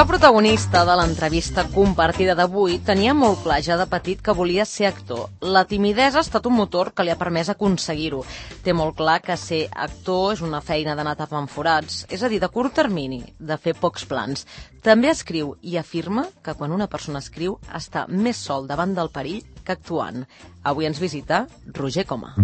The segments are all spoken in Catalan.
El protagonista de l'entrevista compartida d'avui tenia molt clar ja de petit que volia ser actor. La timidesa ha estat un motor que li ha permès aconseguir-ho. Té molt clar que ser actor és una feina d'anar tapant forats, és a dir, de curt termini, de fer pocs plans. També escriu i afirma que quan una persona escriu està més sol davant del perill que actuant. Avui ens visita Roger Coma.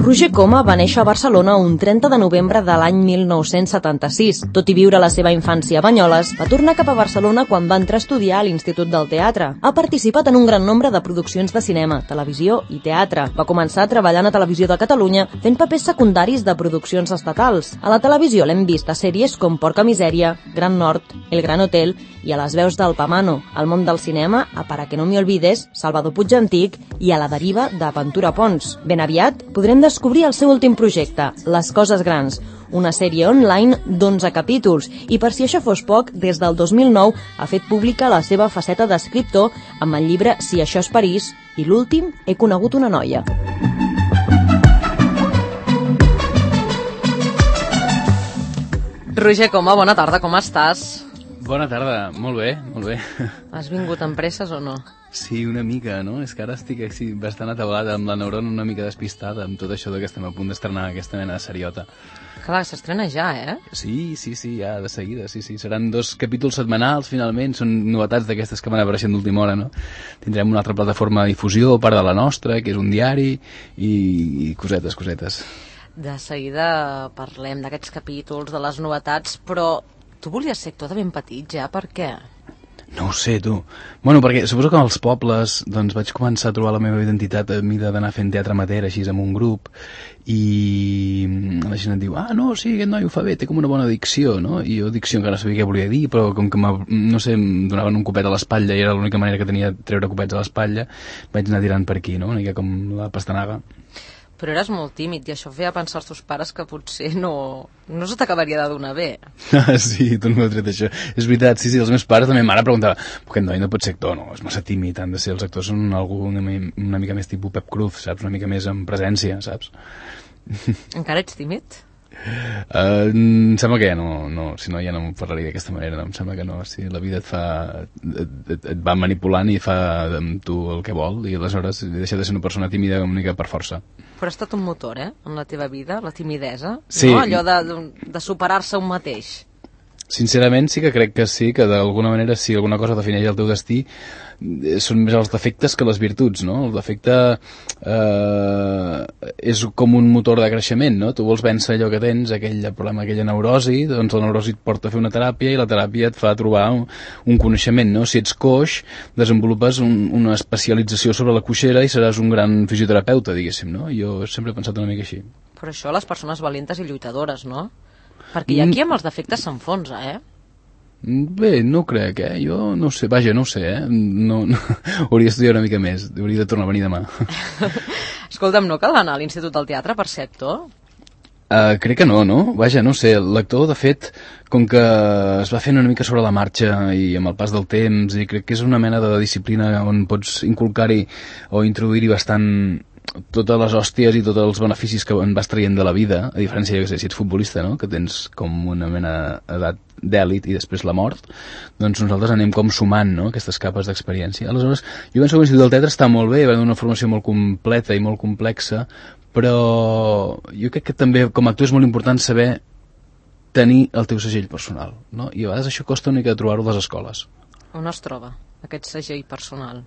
Roger Coma va néixer a Barcelona un 30 de novembre de l'any 1976. Tot i viure la seva infància a Banyoles, va tornar cap a Barcelona quan va entrar a estudiar a l'Institut del Teatre. Ha participat en un gran nombre de produccions de cinema, televisió i teatre. Va començar treballant a Televisió de Catalunya fent papers secundaris de produccions estatals. A la televisió l'hem vist a sèries com Porca Misèria, Gran Nord, El Gran Hotel i a les veus del Pamano. Al món del cinema, a Para que no me olvides, Salvador Puig Antic i a La deriva de Ventura Pons. Ben aviat podrem descobrir el seu últim projecte, Les coses grans, una sèrie online d'11 capítols, i per si això fos poc, des del 2009 ha fet pública la seva faceta d'escriptor amb el llibre Si això és París i l'últim, He conegut una noia. Roger Coma, bona tarda, com estàs? Bona tarda, molt bé, molt bé. Has vingut amb presses o no? Sí, una mica, no? És que ara estic bastant atabalat, amb la neurona una mica despistada, amb tot això que estem a punt d'estrenar aquesta mena de seriota. Clar, s'estrena ja, eh? Sí, ja, de seguida, sí. Seran 2 capítols setmanals, finalment, són novetats d'aquestes que van apareixent d'última hora, no? Tindrem una altra plataforma de difusió, part de la nostra, que és un diari, i cosetes. De seguida parlem d'aquests capítols, de les novetats, però tu volies ser actor de ben petit ja, per què? No ho sé, tu. Bueno, perquè suposo que als pobles doncs vaig començar a trobar la meva identitat a mida d'anar fent teatre amateur, així, amb un grup, i la gent et diu, no, sí, aquest noi ho fa bé, té com una bona dicció, no? I jo dicció encara no sabia què volia dir, però com que, no sé, em donaven un copet a l'espatlla i era l'única manera que tenia de treure copets a l'espatlla, vaig anar tirant per aquí, no? Una mica com la pastanaga. Però eres molt tímid i això feia pensar als teus pares que potser no se t'acabaria de donar bé. Sí, tu no m'ho tret això. És veritat, sí, els meus pares, la meva mare preguntava, però aquest noi no pot ser actor, no, és massa tímid, han de ser, els actors són algú una mica més tipus Pep Cruz, saps, una mica més en presència, saps? Encara ets tímid? Em sembla que ja no, si no ja no em parlaria d'aquesta manera, no? Em sembla que no, si la vida et va manipulant i fa amb tu el que vol, i aleshores deixa de ser una persona tímida una mica per força. Però ha estat un motor, en la teva vida, la timidesa, sí. No? Allò de superar-se un mateix. Sincerament sí que crec que sí, que d'alguna manera si alguna cosa defineix el teu destí són més els defectes que les virtuts, no? El defecte és com un motor de creixement, no? Tu vols vèncer allò que tens, aquell problema, aquella neurosi, doncs la neurosi et porta a fer una teràpia i la teràpia et fa trobar un coneixement, no? Si ets coix, desenvolupes una especialització sobre la coixera i seràs un gran fisioterapeuta, diguéssim, no? Jo sempre he pensat una mica així. Però això les persones valentes i lluitadores, no? Perquè aquí amb els defectes s'enfonsa, Bé, no crec, jo no sé, vaja, no ho sé, no, hauria d'estudiar una mica més, hauria de tornar a venir demà. Escolta'm, no cal anar a l'Institut del Teatre per ser actor? Crec que no? Vaja, no ho sé, l'actor, de fet, com que es va fent una mica sobre la marxa i amb el pas del temps, i crec que és una mena de disciplina on pots inculcar-hi o introduir-hi bastant totes les hòsties i tots els beneficis que en vas traient de la vida, a diferència, jo que sé, si ets futbolista, no?, que tens com una mena d'edat d'èlit i després la mort, doncs nosaltres anem com sumant, no?, aquestes capes d'experiència. Aleshores, jo penso que l'Institut del Teatre està molt bé, va donar una formació molt completa i molt complexa, però jo crec que també com a actor és molt important saber tenir el teu segell personal, no? I a vegades això costa una mica de trobar-ho a les escoles. On es troba aquest segell personal?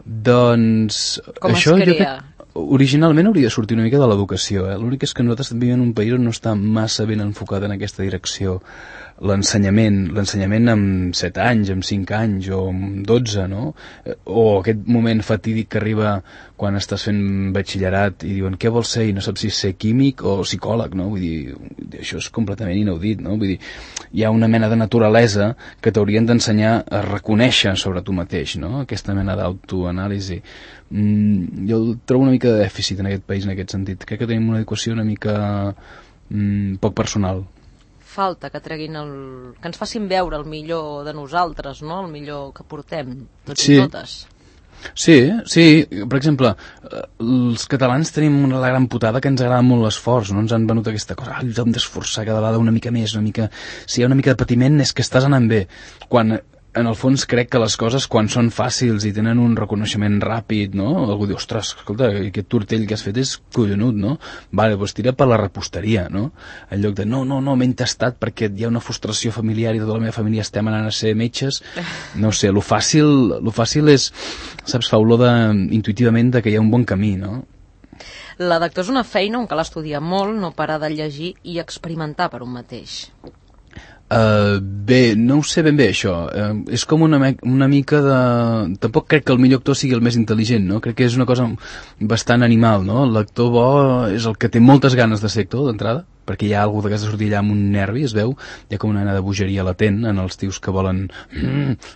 Doncs com això es crea? Originalment hauria de sortir una mica de l'educació, L'únic és que nosaltres vivim en un país on no està massa ben enfocat en aquesta direcció. L'ensenyament amb 7 anys, amb 5 anys o amb 12, no? O aquest moment fatídic que arriba quan estàs fent batxillerat i diuen què vols ser i no saps si ser químic o psicòleg, no? Vull dir, això és completament inaudit, no? Vull dir, hi ha una mena de naturalesa que t'haurien d'ensenyar a reconèixer sobre tu mateix, no? Aquesta mena d'autoanàlisi. jo trobo una mica de dèficit en aquest país, en aquest sentit. Crec que tenim una educació una mica poc personal. Falta que treguin que ens facin veure el millor de nosaltres, no? El millor que portem, tots i totes. Sí, per exemple, els catalans tenim la gran putada que ens agrada molt l'esforç, no? Ens han venut aquesta cosa, ens hem d'esforçar cada vegada una mica més, si hi ha una mica de patiment és que estàs anant bé, quan en el fons crec que les coses quan són fàcils i tenen un reconeixement ràpid, no? Algú diu, ostres, escolta, aquest tortell que has fet és collonut, no? Vale, doncs tira per la reposteria, no? En lloc de, no, m'he entestat perquè hi ha una frustració familiar i tota la meva família estem anant a ser metges. No sé, lo fàcil és, saps, fa olor intuïtivament que hi ha un bon camí, no? La d'actor és una feina on cal estudiar molt, no parar de llegir i experimentar per un mateix. Bé, no ho sé ben bé això, és com una mica de... Tampoc crec que el millor actor sigui el més intel·ligent, no? Crec que és una cosa bastant animal, no? L'actor bo és el que té moltes ganes de ser actor d'entrada, perquè hi ha algú de sortir allà amb un nervi, es veu, hi ha com una mena de bogeria latent en els tios que volen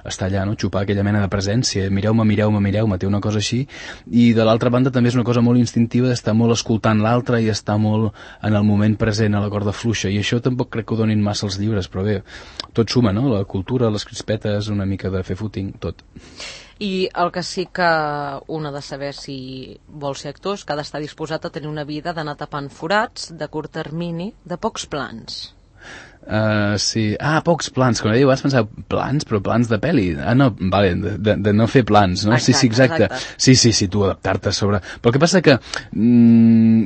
estar allà, no? Xupar aquella mena de presència, mireu-me, té una cosa així, i de l'altra banda també és una cosa molt instintiva d'estar molt escoltant l'altre i estar molt en el moment present a la corda fluixa, i això tampoc crec que ho donin massa els llibres, però bé, tot suma, no? La cultura, les crispetes, una mica de fer footing, tot. I el que sí que un ha de saber si vol ser actor és que ha d'estar disposat a tenir una vida d'anar tapant forats, de curt termini, de pocs plans. Sí. Pocs plans. Quan abans pensava plans, però plans de pel·li. No, vale, de no fer plans, no? Exacte. Sí, tu adaptar-te sobre... Però el que passa que,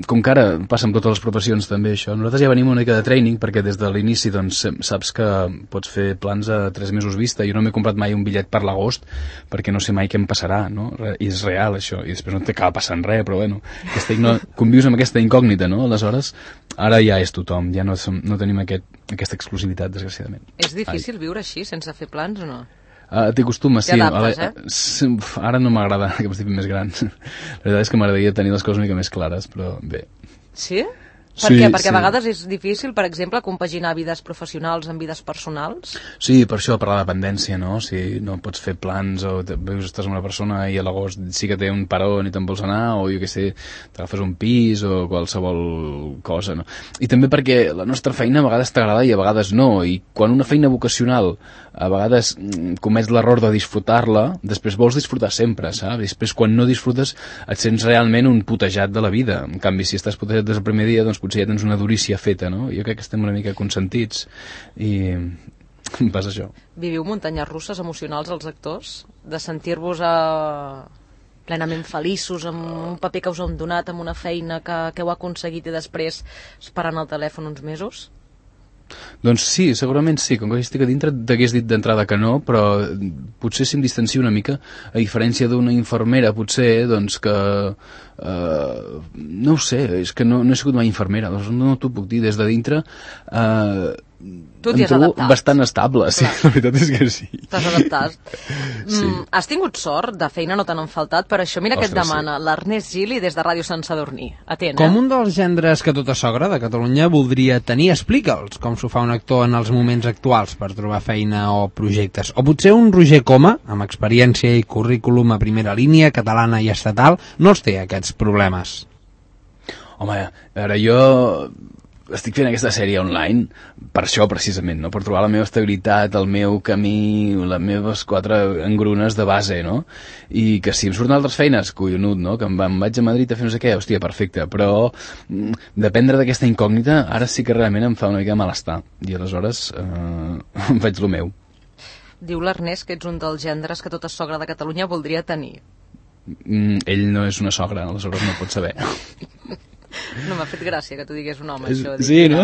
com que ara passa amb totes les professions també això, nosaltres ja venim una mica de training, perquè des de l'inici doncs, saps que pots fer plans a 3 mesos vista. Jo no m'he comprat mai un bitllet per l'agost, perquè no sé mai què em passarà, no? I és real, això. I després no t'acaba passant res, però bueno, convius amb aquesta incògnita, no? Aleshores, ara ja és tothom, ja no tenim aquesta exclusivitat, desgraciadament. És difícil viure així, sense fer plans o no? T'hi acostumes, sí. T'adaptes, Ara no m'agrada que m'estic més gran. La veritat és que m'agradaria tenir les coses una mica més clares, però bé. Sí? Per què? Perquè a vegades és difícil, per exemple, compaginar vides professionals amb vides personals? Sí, per això, per la dependència, no? Si no pots fer plans o veus estàs amb una persona i a l'agost sí que té un parón i te'n vols anar, o jo què sé, t'agafes un pis o qualsevol cosa, no? I també perquè la nostra feina a vegades t'agrada i a vegades no, i quan una feina vocacional a vegades comets l'error de disfrutar-la, després vols disfrutar sempre, saps? Després quan no disfrutes et sents realment un putejat de la vida. En canvi, si estàs putejat des del primer dia, doncs potser ja tens una durícia feta, no? Jo crec que estem una mica consentits i passa això. Viviu muntanyes russes emocionals els actors? De sentir-vos plenament feliços amb un paper que us han donat, amb una feina que heu aconseguit i després esperant el telèfon uns mesos? Doncs sí, segurament sí. Com que estic a dintre t'hagués dit d'entrada que no, però potser si em distancio una mica, a diferència d'una infermera, potser, doncs que... no ho sé, és que no he sigut mai infermera, doncs no t'ho puc dir. Des de dintre tu t'hi has adaptat. Bastant estable, sí, la veritat és que sí. T'has adaptat. Sí. Has tingut sort, de feina no te n'han faltat, per això mira que et demana l'Ernest Gili des de Ràdio Sant Sadurní. Atent, Com un dels gendres que tota sogra de Catalunya voldria tenir, explica'ls com s'ho fa un actor en els moments actuals per trobar feina o projectes. O potser un Roger Coma, amb experiència i currículum a primera línia, catalana i estatal, no els té aquests problemes. Home, ara jo estic fent aquesta sèrie online per això precisament, no? Per trobar la meva estabilitat, el meu camí, les meves 4 engrunes de base, no? I que si em surten altres feines, collonut, no? Que em vaig a Madrid a fer no sé què, hòstia, perfecte, però dependre d'aquesta incògnita ara sí que realment em fa una mica de malestar i aleshores faig lo meu. Diu l'Ernest que ets un dels gendres que tota sogra de Catalunya voldria tenir. Ell no és una sogra, aleshores no pot saber. No m'ha fet gràcia que tu digués un home, això. Sí, no?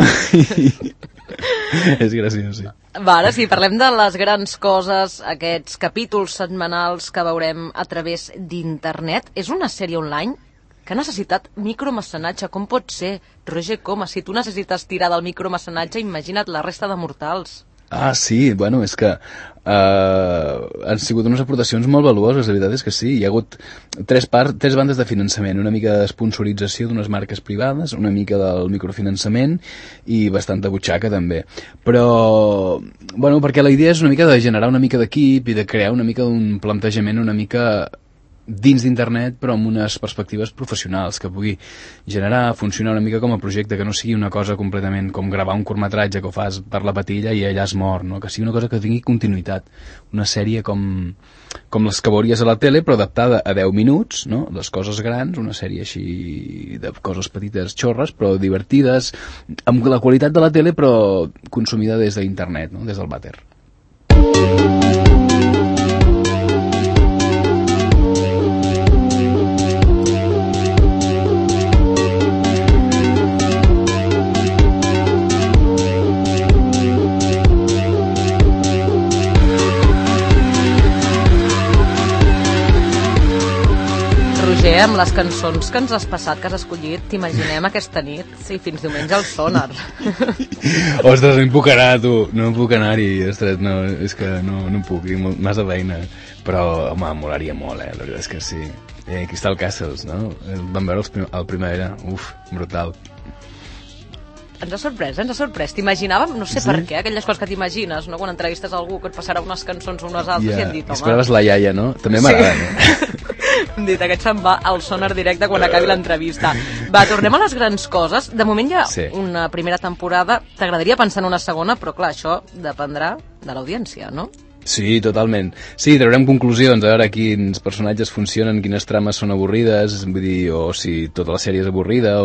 És graciós, sí. Va, ara sí, parlem de les grans coses, aquests capítols setmanals que veurem a través d'internet. És una sèrie online que ha necessitat micromecenatge. Com pot ser, Roger Coma? Si tu necessites tirar del micromecenatge, imagina't la resta de mortals. Sí, bueno, és que han sigut unes aportacions molt valuoses, la veritat és que sí. Hi ha hagut 3 bandes de finançament, una mica d'esponsorització d'unes marques privades, una mica del microfinançament i bastanta butxaca també. Però, bueno, perquè la idea és una mica de generar una mica d'equip i de crear una mica d'un plantejament una mica dins d'internet però amb unes perspectives professionals, que pugui generar, funcionar una mica com a projecte, que no sigui una cosa completament com gravar un curtmetratge que ho fas per la patilla i allà es mor, no? Que sigui una cosa que tingui continuïtat, una sèrie com les que veuries a la tele però adaptada a 10 minuts, no? Les coses grans, una sèrie així de coses petites xorres però divertides, amb la qualitat de la tele però consumida des d'internet, no? Des del vàter. Amb les cançons que ens has passat, que has escollit, t'imaginem aquesta nit, sí, fins diumenge al Sonar. Ostres, no em puc anar, tu, no em puc anar-hi, ostres, no, és que no puc, tinc massa feina, però, home, molaria molt, la veritat és que sí. Crystal Castles, no? Vam veure el primavera, brutal. Ens ha sorprès. T'imaginàvem, no sé per què, aquelles coses que t'imagines, no? Quan entrevistes algú que et passarà unes cançons o unes altres i hem dit, home... Esperaves la iaia, no? També m'agrada, no? Hem dit, aquest se'n va al Sonar directe quan acabi l'entrevista. Va, tornem a les grans coses. De moment hi ha una primera temporada. T'agradaria pensar en una segona, però clar, això dependrà de l'audiència, no? Sí, totalment. Sí, traurem conclusions, a veure quins personatges funcionen, quines trames són avorrides, vull dir, o si tota la sèrie és avorrida,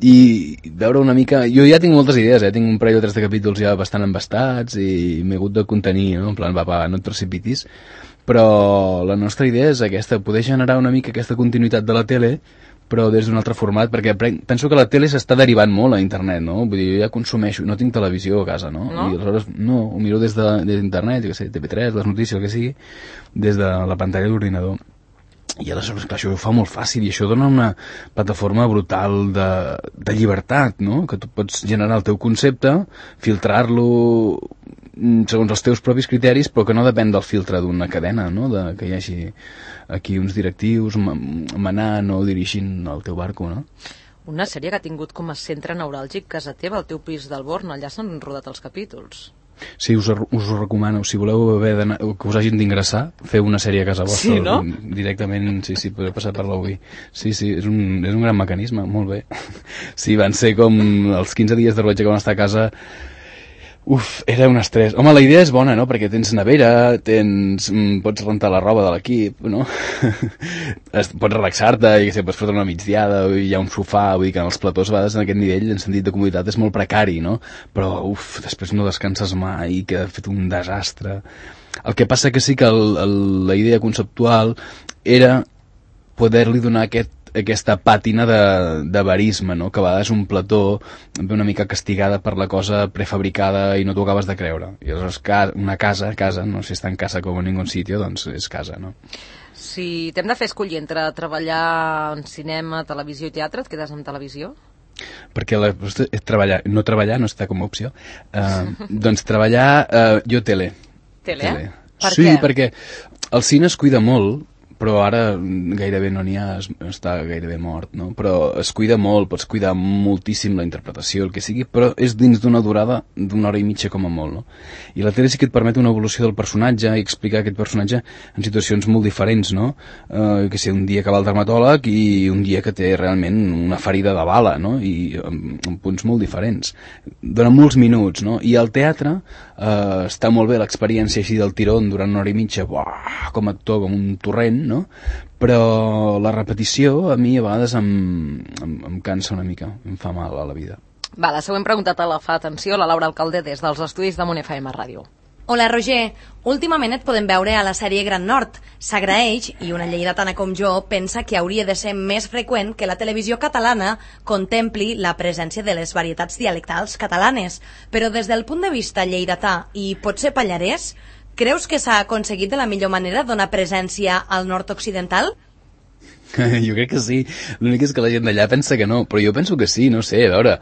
i veure una mica... Jo ja tinc moltes idees, tinc un parell o tres de capítols ja bastant embastats i m'he hagut de contenir, no? En plan, va, no et precipitis, però la nostra idea és aquesta, poder generar una mica aquesta continuïtat de la tele, però des d'un altre format, perquè penso que la tele s'està derivant molt a internet, no? Vull dir, jo ja consumeixo, no tinc televisió a casa, no? I aleshores, no, ho miro des d'internet, jo què sé, TV3, les notícies, el que sigui, des de la pantalla de l'ordinador. I aleshores, clar, això ho fa molt fàcil i això dona una plataforma brutal de llibertat, no? Que tu pots generar el teu concepte, filtrar-lo segons els teus propis criteris, però que no depèn del filtre d'una cadena, no? Que hi hagi aquí uns directius manant o dirigint el teu barco, no? Una sèrie que ha tingut com a centre neuràlgic casa teva, el teu pis del Born, allà s'han rodat els capítols. Sí, us ho recomano. Si voleu que us hagin d'ingressar, feu una sèrie a casa vostra. Sí, no? Directament, sí, podeu passar per l'UI. Sí, és un gran mecanisme, molt bé. Sí, van ser com els 15 dies de rodatge que vam estar a casa. Era un estrès. Home, la idea és bona, no? Perquè tens nevera, pots rentar la roba de l'equip, no? Pots relaxar-te, i pots fotre una migdiada, hi ha un sofà, vull dir que en els platós a vegades en aquest nivell, en sentit de comoditat, és molt precari, no? Però, després no descanses mai, queda fet un desastre. El que passa que sí que la idea conceptual era poder-li donar aquesta pàtina de verisme, no? Que a vegades un plató ve una mica castigada per la cosa prefabricada i no t'ho acabes de creure. I aleshores una casa, no? Si està en casa com en ningú sitio, doncs és casa, no? Si t'hem de fer escollir entre treballar en cinema, televisió i teatre, et quedes en televisió? Perquè no treballar no està com a opció. Doncs treballar, jo tele. Tele? Per què? Sí, què? perquè el cine es cuida molt, però ara gairebé no n'hi ha, està gairebé mort, no? Però es cuida molt, pots cuidar moltíssim la interpretació, el que sigui, però és dins d'una durada d'una hora i mitja com a molt, no? I la tele sí que et permet una evolució del personatge i explicar aquest personatge en situacions molt diferents, no? Que sé, un dia que va al dermatòleg i un dia que té realment una ferida de bala, no? I en punts molt diferents. Dona molts minuts, no? I al teatre està molt bé l'experiència així del tirón durant una hora i mitja, com a actor, com un torrent, no? Però la repetició a mi a vegades em cansa una mica, em fa mal a la vida. Va, la següent pregunta te la fa, atenció, la Laura Alcalde des dels estudis de Mont FM Ràdio. Hola, Roger. Últimament et podem veure a la sèrie Gran Nord. S'agraeix, i una lleidatana com jo pensa que hauria de ser més freqüent que la televisió catalana contempli la presència de les varietats dialectals catalanes. Però des del punt de vista lleidatà i potser pallarès, creus que s'ha aconseguit de la millor manera donar presència al nord-occidental? Jo crec que sí, l'únic és que la gent d'allà pensa que no, però jo penso que sí, no sé, a veure,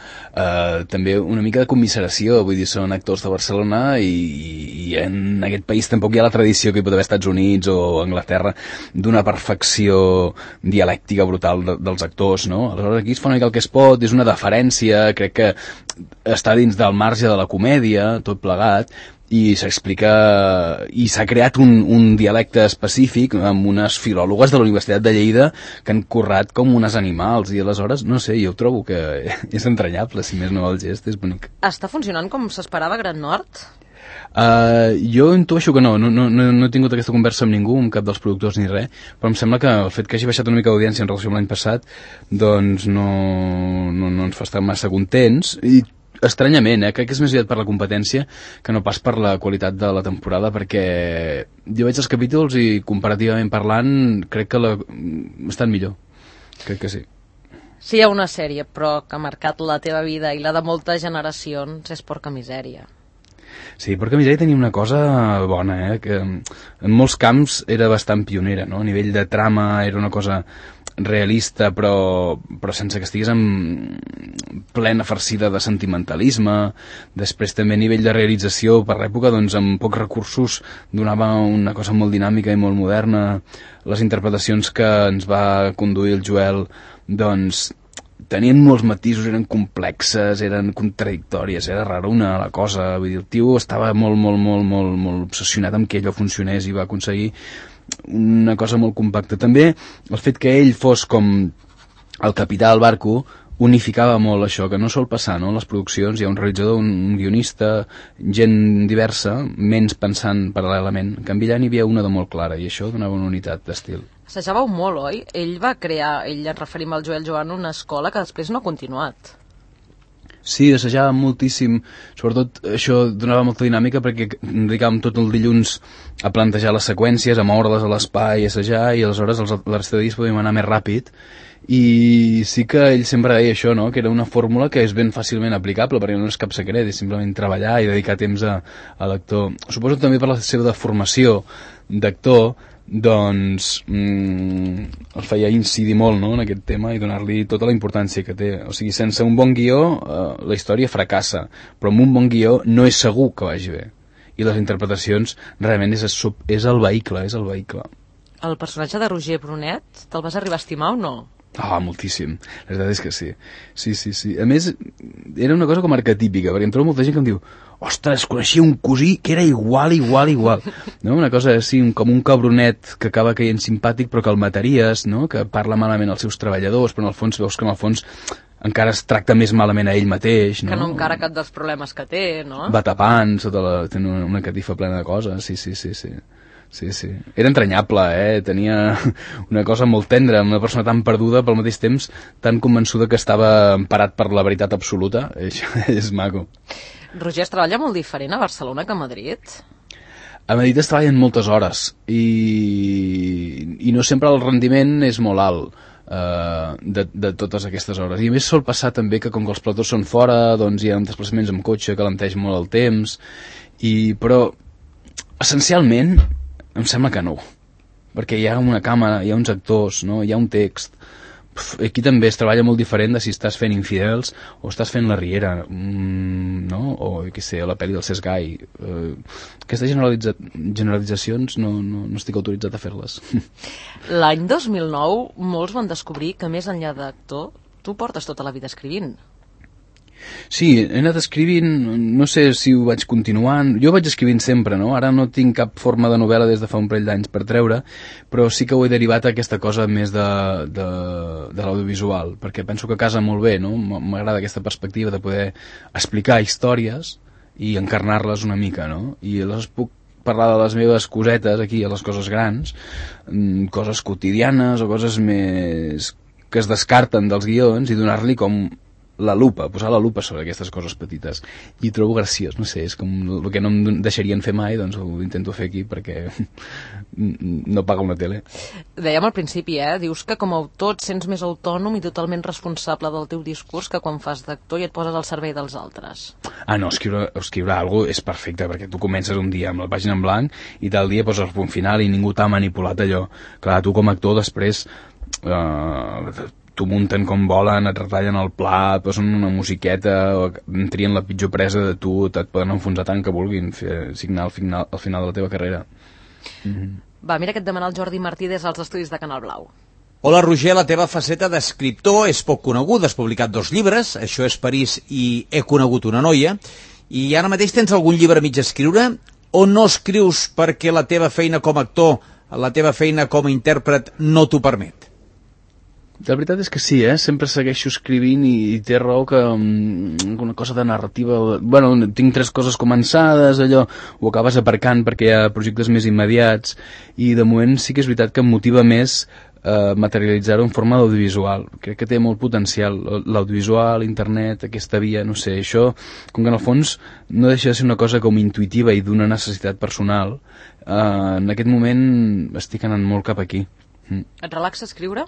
també una mica de commiseració, vull dir, són actors de Barcelona i en aquest país tampoc hi ha la tradició que hi pot haver Estats Units o Anglaterra d'una perfecció dialèctica brutal dels actors, no? Aleshores aquí es fa una mica el que es pot, és una deferència, crec que està dins del marge de la comèdia, tot plegat, i s'explica, i s'ha creat un dialecte específic amb unes filòlogues de la Universitat de Lleida que han currat com unes animals, i aleshores, no sé, jo trobo que és entranyable, si més no el gest, és bonic. Està funcionant com s'esperava Gran Nord? Jo intueixo que no he tingut aquesta conversa amb ningú, amb cap dels productors ni res, però em sembla que el fet que hagi baixat una mica d'audiència en relació amb l'any passat doncs no ens fa estar massa contents, i estranyament, crec que és més aviat per la competència que no pas per la qualitat de la temporada, perquè jo veig els capítols i comparativament parlant crec que estan millor, crec que sí. Si hi ha una sèrie, però que ha marcat la teva vida i la de moltes generacions, és Porca Misèria. Sí, Porca Misèria tenia una cosa bona, que en molts camps era bastant pionera, no? A nivell de trama era una cosa realista, però sense que estigués plena farcida de sentimentalisme. Després també a nivell de realització, per l'època, doncs amb pocs recursos donava una cosa molt dinàmica i molt moderna. Les interpretacions que ens va conduir el Joel doncs tenien molts matisos, eren complexes, eren contradictòries, era rara la cosa, vull dir, el tio estava molt obsessionat amb que allò funcionés i va aconseguir una cosa molt compacta. També el fet que ell fos com el capità del barco unificava molt això, que no sol passar, no? En les produccions hi ha un realitzador, un guionista, gent diversa, menys pensant paral·lelament. En canvi allà n'hi havia una de molt clara, i això donava una unitat d'estil. Assajàveu molt, oi? Ell va crear, ens referim al Joel Joan, una escola que després no ha continuat. Sí, assajàvem moltíssim, sobretot això donava molta dinàmica perquè dedicàvem tot el dilluns a plantejar les seqüències, a moure-les a l'espai, a assajar, i aleshores la resta de dies podíem anar més ràpid. I sí que ell sempre deia això, no? Que era una fórmula que és ben fàcilment aplicable, perquè no és cap secret, és simplement treballar i dedicar temps a l'actor. Suposo també per la seva formació d'actor, doncs el feia incidir molt, no? En aquest tema i donar-li tota la importància que té. O sigui, sense un bon guió la història fracassa, però amb un bon guió no és segur que vagi bé, i les interpretacions realment és el vehicle. El personatge de Roger Brunet te'l vas arribar a estimar o no? Moltíssim, la veritat és que sí. Sí. A més, era una cosa com arquetípica, perquè em trobo molta gent que em diu: ostres, coneixia un cosí que era igual. No? Una cosa així, com un cabronet que acaba caient simpàtic però que el mataries, no? Que parla malament als seus treballadors, però en el fons veus que en el fons encara es tracta més malament a ell mateix, no? Que no encara cap dels problemes que té, no? Va tapant, té una catifa plena de coses, sí. Era entranyable, tenia una cosa molt tendra, una persona tan perduda, però al mateix temps tan convençuda que estava emparat per la veritat absoluta. Això és maco. Roger, es treballa molt diferent a Barcelona que a Madrid? A Madrid es treballen moltes hores i no sempre el rendiment és molt alt de totes aquestes hores. I a més sol passar també que com que els platós són fora, doncs hi ha desplaçaments amb cotxe que alenteix molt el temps, però essencialment em sembla que no, perquè hi ha una càmera, hi ha uns actors, no? Hi ha un text. Aquí també es treballa molt diferent de si estàs fent Infidels o estàs fent La Riera, no? O què sé, la pel·li del Cesc Gai. Aquestes generalitzacions no estic autoritzat a fer-les. L'any 2009 molts van descobrir que més enllà d'actor tu portes tota la vida escrivint. Sí, he anat escrivint, no sé si ho vaig continuant, jo vaig escrivint sempre, no? Ara no tinc cap forma de novel·la des de fa un parell d'anys per treure, però sí que ho he derivat a aquesta cosa més de l'audiovisual, perquè penso que casa molt bé, no? M'agrada aquesta perspectiva de poder explicar històries i encarnar-les una mica, no? I aleshores puc parlar de les meves cosetes aquí, a les coses grans, coses quotidianes o coses més que es descarten dels guions i donar-li com la lupa, posar la lupa sobre aquestes coses petites, i trobo graciós, no sé, és com el que no em deixarien fer mai, doncs ho intento fer aquí perquè no paga una tele. Dèiem al principi, dius que com a autor et sents més autònom i totalment responsable del teu discurs que quan fas d'actor i et poses al servei dels altres. No, escriure alguna cosa és perfecte, perquè tu comences un dia amb la pàgina en blanc i tal dia poses el punt final i ningú t'ha manipulat allò. Clar, tu com a actor després t'ho munten com volen, et retallen el pla, et posen una musiqueta, trien la pitjor presa de tu, et poden enfonsar tant que vulguin, signar al final de la teva carrera. Va, mira que et demana el Jordi Martí des dels estudis de Canal Blau. Hola, Roger, la teva faceta d'escriptor és poc coneguda, has publicat 2 llibres, Això és París i He conegut una noia, I ara mateix tens algun llibre mig a escriure? O no escrius perquè la teva feina com a actor, la teva feina com a intèrpret no t'ho permet? La veritat és que sí, sempre segueixo escrivint i té raó que una cosa de narrativa... Bueno, tinc 3 coses començades, allò ho acabes aparcant perquè hi ha projectes més immediats i de moment sí que és veritat que em motiva més materialitzar-ho en forma d'audiovisual. Crec que té molt potencial, l'audiovisual, internet, aquesta via, no sé, això, com que en el fons no deixa de ser una cosa com intuïtiva i d'una necessitat personal, en aquest moment estic anant molt cap aquí. Et relaxa escriure?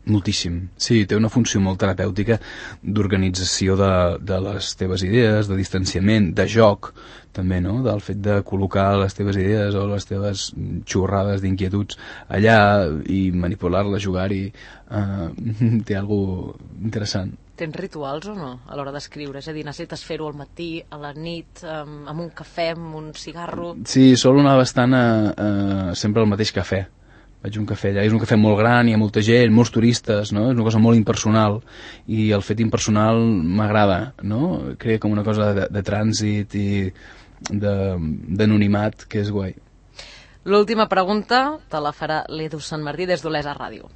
Moltíssim. Sí, té una funció molt terapèutica d'organització de les teves idees, de distanciament, de joc, també, no? Del fet de col·locar les teves idees o les teves xorrades d'inquietuds allà i manipular-les, jugar-hi. Té alguna cosa interessant. Tens rituals o no a l'hora d'escriure? És a dir, necessites fer-ho al matí, a la nit, amb un cafè, amb un cigarro? Sí, sol anar bastant sempre al mateix cafè. Vaig a un cafè allà, és un cafè molt gran, hi ha molta gent, molts turistes, no? És una cosa molt impersonal i el fet impersonal m'agrada, no? Crea com una cosa de trànsit i d'anonimat que és guai. L'última pregunta te la farà l'Edu Sant Martí des d'Olesa Ràdio.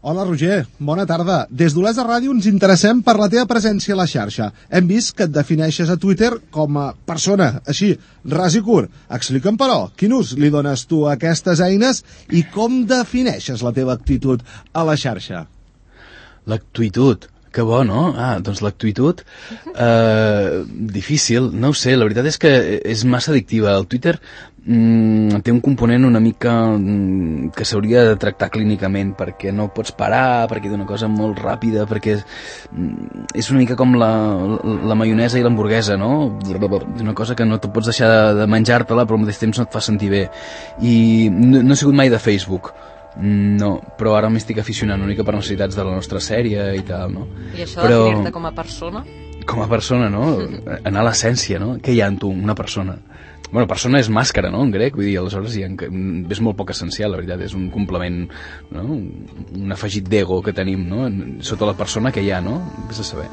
Hola, Roger. Bona tarda. Des d'Olesa Ràdio ens interessem per la teva presència a la xarxa. Hem vist que et defineixes a Twitter com a persona, així, ras i curt. Explica'm, però, quin ús li dones tu a aquestes eines i com defineixes la teva actitud a la xarxa? L'actitud. Que bo, no? Doncs l'actitud, difícil, no ho sé, la veritat és que és massa addictiva. El Twitter té un component una mica que s'hauria de tractar clínicament, perquè no pots parar, perquè té una cosa molt ràpida, perquè és una mica com la maionesa i l'hamburguesa, no? És una cosa que no te pots deixar de menjar-te-la, però al mateix temps no et fa sentir bé. I no he sigut mai de Facebook. No, però ara m'estic aficionant una mica per necessitats de la nostra sèrie i tal, no? I això de definir-te com a persona? Com a persona, no? Anar a l'essència, no? Què hi ha en tu, una persona? Bueno, persona és màscara, no?, en grec, vull dir, aleshores és molt poc essencial, la veritat, és un complement, no? Un afegit d'ego que tenim, no? Sota la persona que hi ha, no? Vés a saber.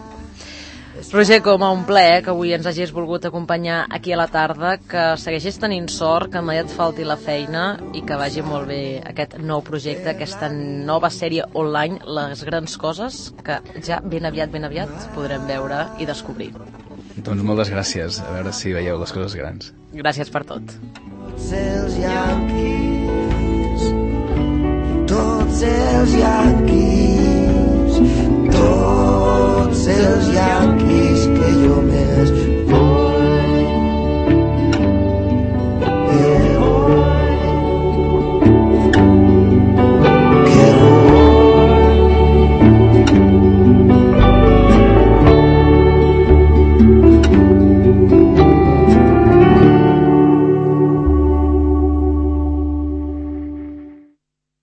Roger, com a un plaer que avui ens hagis volgut acompanyar aquí a la tarda, que segueixis tenint sort, que mai et falti la feina i que vagi molt bé aquest nou projecte, aquesta nova sèrie online, Les grans coses, que ja ben aviat podrem veure i descobrir. Doncs moltes gràcies, a veure si veieu les coses grans. Gràcies per tot. Tots els yanquis, tots els yanquis, tots els yanquis.